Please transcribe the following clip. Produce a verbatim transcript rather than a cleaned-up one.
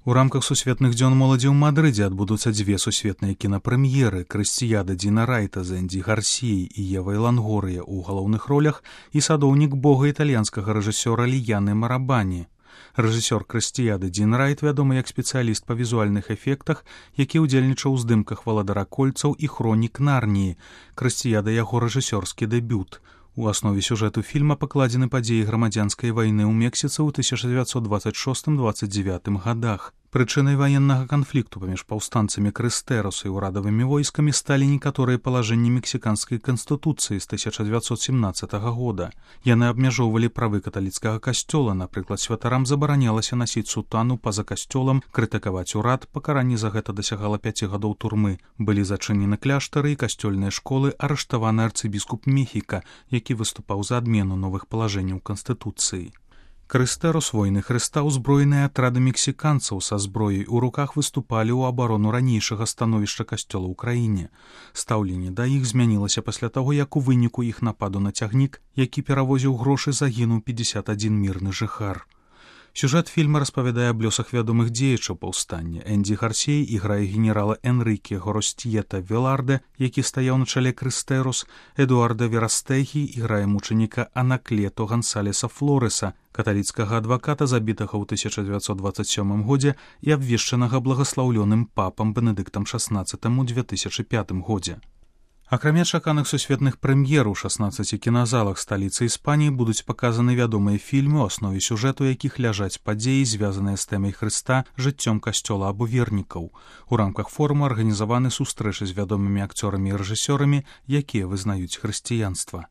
У рамках сусветных дзён моладзі ў Мадрыдзе адбудуцца дзве сусветныя кінапрэм'еры «Крысціяда» Діна Райта з Энді Гарсіяй і Евай Лангорыя ў галоўных ролях і «Садоўнік Бога» італьянскага рэжысёра Ліяны Марабані. Рэжысёр «Крысціяды» Дін Райт вядомы як спецыяліст па візуальных эфектах, які ўдзельнічаў у здымках «Валадара кольцаў» і «Хронік Нарніі». «Крысціяда» яго рэжысёрскі дэбют. У аснове сюжэту фільма пакладзены падзеі грамадзянскай вайны ў Мексіцы ў тысяча дзевяцьсот дваццаць шостым — дваццаць дзявятым гадах. Прычынай ваеннага канфлікту паміж паўстанцамі Крыстэросу і ўрадавымі войскамі сталі некаторыя палажэнні мексіканскай канстытуцыі з тысяча дзевяцьсот сямнаццатага года. Яны абмяжоўвалі правы каталіцкага касцёла, напрыклад, святарам забаранялася насіць сутану па-за касцёлам, крытыкаваць урад, пакаранне за гэта дасягала пяці гадоў турмы. Былі зачынены кляштары і касцёльныя школы, арыштаваны арцыбіскуп Мехіка, які выступаў за адмену новых палажэнняў канстытуцыі. Крыстэрос войны Хрыста ўзброеныя атрады мексіканцаў са зброяй у руках выступалі ў абарону ранейшага становішча касцёла ў краіне. Стаўленне да іх змянілася пасля таго, як у выніку іх нападу на цягнік, які перавозіў грошы, загінуў пятьдесят адзін мірны жыхар. Сюжэт фільма распавядае аб лёсах вядомых дзеячаў паўстання. Энді Гарсій іграе генерала Энрыке Горостьета Веларде, які стаяў на чале Крыстэрос. Эдуарда Верастэгі іграе мучаніка Анаклето Гансалеса Флореса, каталіцкага адваката, забітага ў тысяча дзевяцьсот дваццаць сёмым годзе і абвешчанага благаслаўлёным папам Бенедыктам шаснаццатым у две тысячы пятым годзе. Акрамя чаканых сусветных прэм'ер у шаснаццаці кіназалах сталіцы Іспаніі будуць паказаны вядомыя фільмы, у аснове сюжэту якіх ляжаць падзеі, звязаныя з тэмай Хрыста, жыццём касцёла або вернікаў. У рамках форуму арганізаваны сустрэчы з вядомымі акцёрамі і рэжысёрамі, якія вызнаюць хрысціянства.